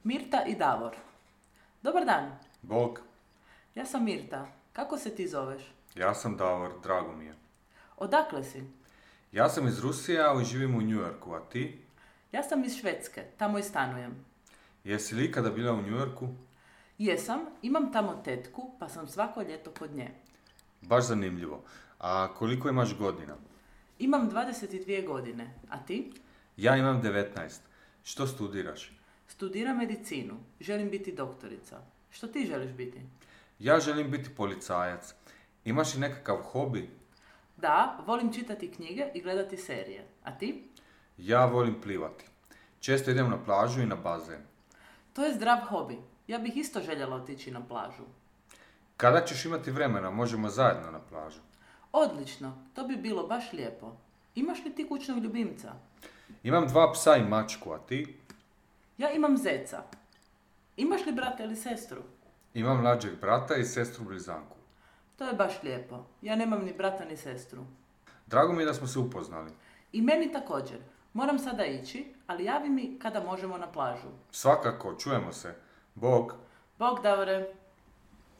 Mirta i Davor. Dobar dan, Bog, ja sam Mirta. Kako se ti zoveš? ja sam Davor, drago mi je. Odakle si? Ja sam iz Rusije, ali živim u New Yorku, a ti? Ja sam iz Švedske, tamo i stanujem. Jesi li ikada bila u New Yorku? Jesam, imam tamo tetku, pa sam svako ljeto kod nje. Baš zanimljivo. A koliko imaš godina? Imam 22 godine, a ti? Ja imam 19. Što studiraš? Studiram medicinu, želim biti doktorica. Što ti želiš biti? Ja želim biti policajac. Imaš li nekakav hobi? Da, volim čitati knjige i gledati serije. A ti? Ja volim plivati. Često idem na plažu i na bazen. To je zdrav hobi. Ja bih isto željela otići na plažu. Kada ćeš imati vremena, možemo zajedno na plažu. Odlično, to bi bilo baš lijepo. Imaš li ti kućnog ljubimca? Imam 2 psa i mačku, a ti? Ja imam zeca. Imaš li brata ili sestru? Imam mlađeg brata i sestru blizanku. To je baš lijepo. Ja nemam ni brata ni sestru. Drago mi je da smo se upoznali. I meni također. Moram sada ići, ali javi mi kada možemo na plažu. Svakako, čujemo se. Bog. Bog, Davore.